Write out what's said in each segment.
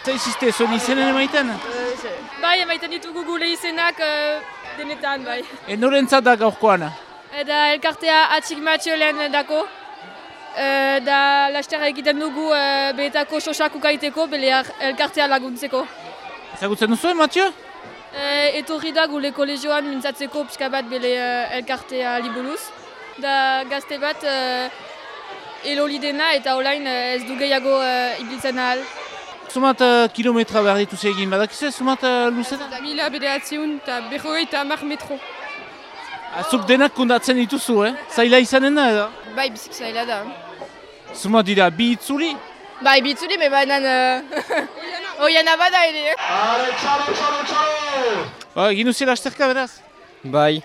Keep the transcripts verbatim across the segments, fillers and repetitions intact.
Zaizizte, zuen izenen emaiten? Bai, emaiten ditugu gure izenak uh, denetan, bai. E norentzat da gaurkoan? Eta elkartea atxik matxo lehen dako. Uh, da laster egiten dugu uh, behetako sosak ukaiteko, bele elkartea laguntzeko. Ezagutzen duzuen, Mathieu? Uh, etorri da gure kolegioan mintzatzeko pixka bat bele uh, elkartea liburuz. Da gazte bat uh, eloli dena eta olain uh, ez du gehiago uh, ibiltzen ahal. Zumat uh, kilometra behar dituz egin, badakizu zumat uh, luzeta? Mila bederatziun eta berroi eta hamar metro. Azuk denak kundatzen dituzu, eh? Zaila izanen da, edo? Bai, bizik zaila da. Zumat dira, bi itzuli? Bai, bi itzuli, me banan... Oiana bada ere, eh? Ale, txalo, txalo, txalo! Ba, egin uzela asterka, beraz? Bai,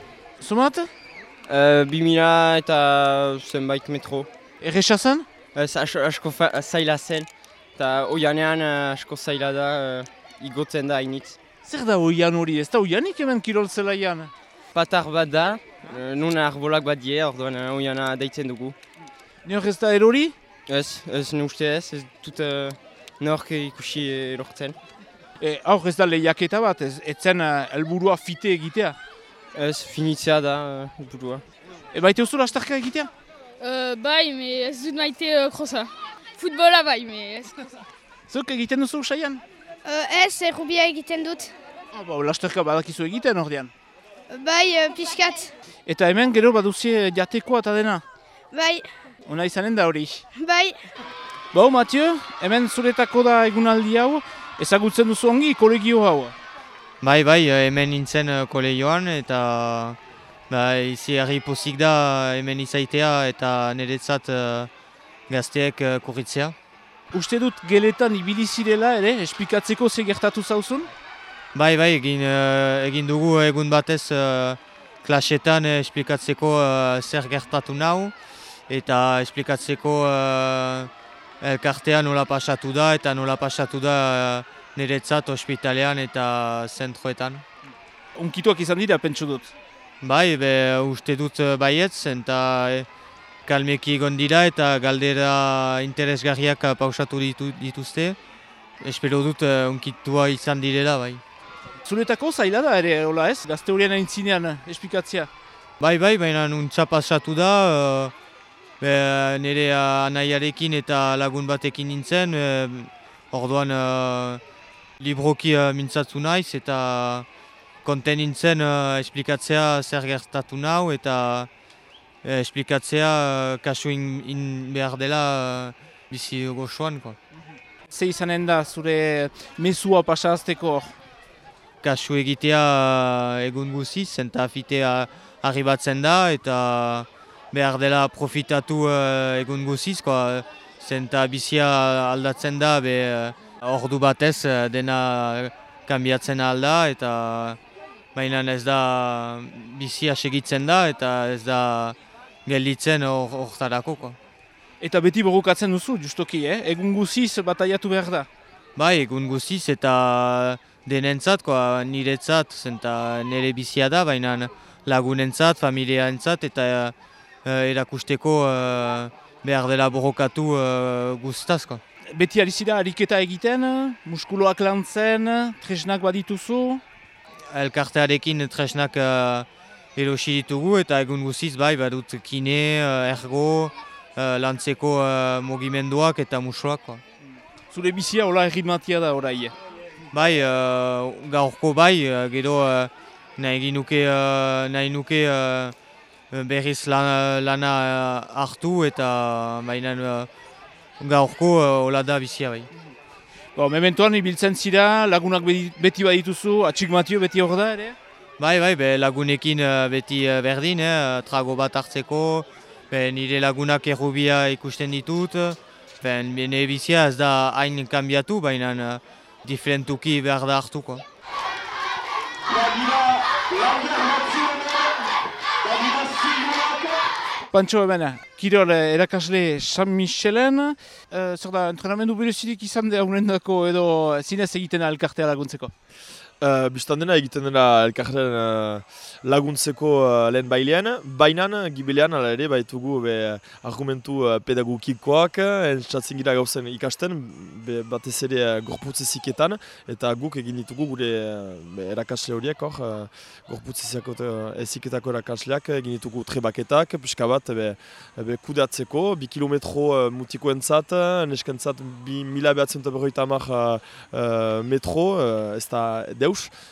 Zumat? uh, bi mila eta zenbait metro. Erresa zen? Ez asko, asko fa- zaila zen, eta oianean uh, asko zaila da, uh, igotzen da hainitz. Zer da oian hori, ez da oianik hemen kirol zelaian? Patar bat da, uh, nun arbolak bat die, orduan uh, oiana deitzen dugu. Nior ez da erori? Ez, ez ne uste ez, ez dut uh, nork ikusi erortzen. E, aur ez da lehiaketa bat, ez etzen uh, helburua fite egitea. Ez finitzea da, uh, burua. E baite uzula asterka egitea? Uh, bai, me ez dut maite uh, krosa. Futbola bai, me ez. Zuk egiten duzu usaian? Uh, ez, errubia egiten dut. Ah, ba, lasterka badakizu egiten ordean. Bai, uh, pixkat. Eta hemen gero baduzie jatekoa eta dena. Bai, Ona izanen da hori. bai. Bau, Mathieu, hemen zuretako da egunaldi hau, ezagutzen duzu ongi kolegio hau. Bai, bai, hemen nintzen uh, kolegioan eta bai, izi herri pozik da hemen izaitea eta niretzat uh, gazteek uh, kurritzea. Uste dut geletan ibili zirela ere, esplikatzeko ze gertatu zauzun? Bai, bai, egin, uh, egin dugu egun batez uh, klasetan uh, esplikatzeko uh, zer gertatu nau eta esplikatzeko uh, elkartea nola pasatu da eta nola pasatu da uh, niretzat ospitalean eta zentroetan. Unkituak izan dira, pentsu dut. Bai, be, uste dut uh, baietz eta eh, kalmeki egon dira eta galdera interesgarriak uh, pausatu ditu, dituzte. Espero dut uh, unkitua izan direla, bai. Zuretako zaila da ere, hola ez? Gazte horien aintzinean esplikatzea. Bai, bai, baina nuntza pasatu da, uh, be, nire uh, anaiarekin eta lagun batekin nintzen, uh, orduan uh, libroki uh, mintzatu naiz eta konten nintzen uh, esplikatzea zer gertatu nau eta uh, esplikatzea uh, kasu in, in behar dela uh, bizi goxoan. Ze izanen da zure mezua pasazteko? Kasu egitea uh, egun guziz, eta fitea arribatzen da eta behar dela profitatu uh, egun guziz, zenta bizia aldatzen da, be uh, ordu batez uh, dena kanbiatzen alda eta baina ez da bizia segitzen da eta ez da gelditzen hortarako. Or, Eta beti borrokatzen duzu, justoki, eh? Egun guziz bataiatu behar da. Bai, egun guziz eta denentzat, koa, niretzat, zenta nire bizia da, baina lagunentzat, familiaentzat eta uh, erakusteko uh, behar dela borrokatu uh, guztaz. Koa. Beti ari zira ariketa egiten, muskuloak lantzen, tresnak badituzu? Elkartearekin tresnak uh, erosi ditugu eta egun guziz bai badut kine, uh, ergo, uh, lantzeko uh, mugimenduak eta musuak. Koa. Zure bizia hola erritmatia da orai? Bai, uh, gaurko bai, uh, gero uh, nahi nuke, uh, nahi nuke uh, berriz lana, lana uh, hartu eta baina uh, gaurko uh, hola da bizia bai. Bo, mementoan ibiltzen zira, lagunak beti badituzu, atxik Mathieu beti hor da ere? Bai, bai, be, lagunekin uh, beti uh, berdin, eh, trago bat hartzeko, be, nire lagunak errubia ikusten ditut, ben, nire bizia ez da hain kanbiatu, baina uh, diferentuki behar da hartuko. Pantxo hemen, kirol erakasle San Michelen, uh, zer da, entrenamendu berezirik izan da unendako edo zinez egiten elkartea laguntzeko? Uh, Bistan dena egiten dela elkarren uh, laguntzeko uh, lehen bailean, bainan, gibelean, ala ere, baitugu be, argumentu uh, pedagogikoak, entzatzen gira gauzen ikasten, be, batez ere uh, gorputz eziketan, eta guk egin ditugu gure uh, be, erakasle horiek, hor, uh, gorputz eziketako erakasleak, egin ditugu trebaketak, pixka bat, be, be, kudeatzeko, bi kilometro uh, mutikoentzat, neskentzat bi mila behatzen eta berroita hamar uh, uh, metro, uh, ez da deus,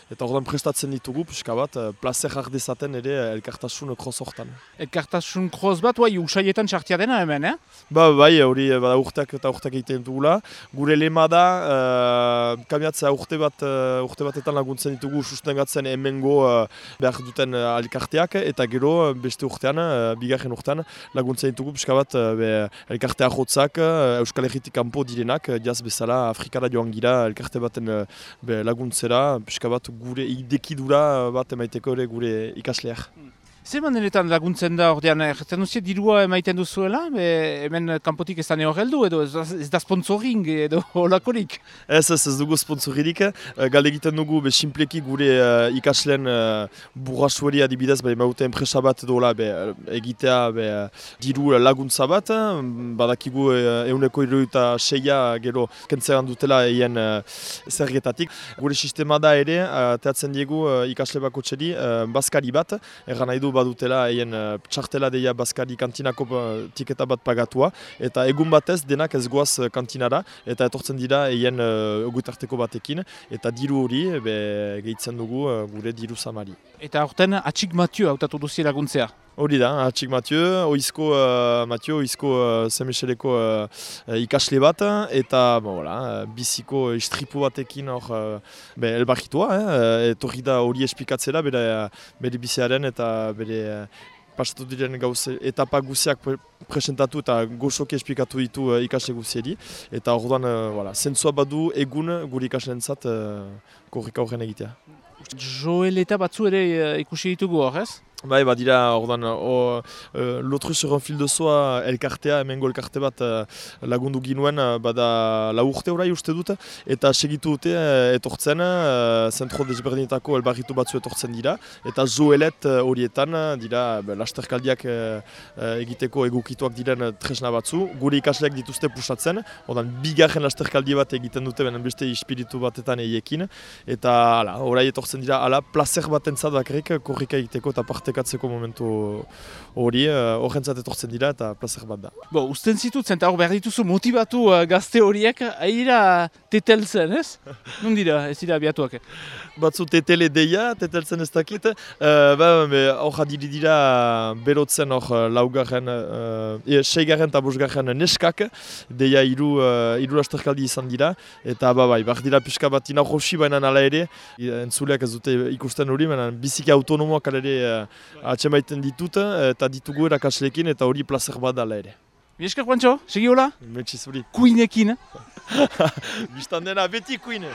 eta ordan prestatzen ditugu, pixka bat, plazer har dezaten ere elkartasun kroz hortan. Elkartasun kroz bat, bai, usaietan txartia dena hemen, eh? Ba, bai, hori bada urteak eta urteak egiten dugula. Gure lema da, uh, kamiatzea urte bat, uh, urte batetan laguntzen ditugu sustengatzen hemengo uh, behar duten uh, elkarteak, eta gero beste urtean, uh, bigarren urtean, laguntzen ditugu pixka bat uh, be, elkartea jotzak, uh, Euskal Herritik kanpo direnak, uh, jaz bezala Afrikara joan gira elkarte baten uh, be, laguntzera, pixka bat gure idekidura bat emaiteko ere gure ikasleak. Zer maneretan laguntzen da ordean, erretzen duzien dirua emaiten duzuela, be, hemen kanpotik ez da neo geldu edo ez da, ez da sponsoring edo holakorik? Ez, ez, ez dugu sponsoririk, galde egiten dugu be, simpleki gure uh, ikasleen uh, burrasueri adibidez, be, maute enpresa bat dola be, egitea be, diru laguntza bat, badakigu uh, euneko iruita seia gero kentzeran dutela eien uh, zergetatik. Gure sistema da ere, uh, teatzen diegu uh, ikasle bako txeri, uh, bazkari bat, erran nahi du badutela eien uh, txartela deia bazkari kantinako uh, tiketa bat pagatua, eta egun batez denak ez goaz uh, kantinara, eta etortzen dira eien uh, ogutarteko batekin, eta diru hori be, gehitzen dugu uh, gure diru samari. Eta horten atxik Mathieu hautatu duzi laguntzea? Hori da, atxik Mathieu, oizko uh, Mathieu, oizko uh, Semexeleko uh, ikasle bat, eta bon, voilà, biziko istripu batekin hor uh, be, elbarritua, eh, etorri da hori esplikatzera bere, bere biziaren eta bere uh, pasatu diren gauze etapa guziak pre presentatu eta gozoki esplikatu ditu uh, ikasle guzieri, eta orduan, uh, voilà, zentzua badu egun gure ikasleentzat uh, korrika horren egitea. Joel eta batzu ere uh, ikusi ditugu hor, ez? Bai, badira, ordan, uh, L'autre sur un fil de soie elkartea, hemengo elkarte bat uh, lagundu ginuen, uh, bada lau urte orai uste dut, eta segitu dute uh, etortzen, uh, zentro desberdinetako elbarritu batzu etortzen dira, eta joelet uh, horietan uh, dira uh, lasterkaldiak uh, uh, egiteko egokituak diren uh, tresna batzu, gure ikasleak dituzte pusatzen, ordan, bigarren lasterkaldi bat egiten dute, benen beste espiritu batetan eiekin, eta ala, orai etortzen dira, ala, placer bat entzat bakarrik, korrika egiteko eta parte katzeko momentu hori, horrentzat etortzen dira eta plazer bat da. Bo, usten zitutzen, eta hor behar dituzu motivatu uh, gazte horiek, aira tetelzen, ez? Non dira, ez dira abiatuak? Batzu tetele deia, tetelzen ez dakit, uh, ba, hor adiri dira berotzen hor laugarren, uh, e, seigarren eta bosgarren neskak, deia hiru uh, hiru lasterkaldi izan dira, eta ba, bai, behar dira pixka bat ina rosi baina ala ere, entzuleak ez dute ikusten hori, baina biziki autonomoak ala ere uh, atxemaiten ditut, eta ditugu erakasleekin, eta hori plazer bat dala ere. Miesker, Juancho, segi hola? Metxizuri. Kuinekin. Bistan dena beti kuine.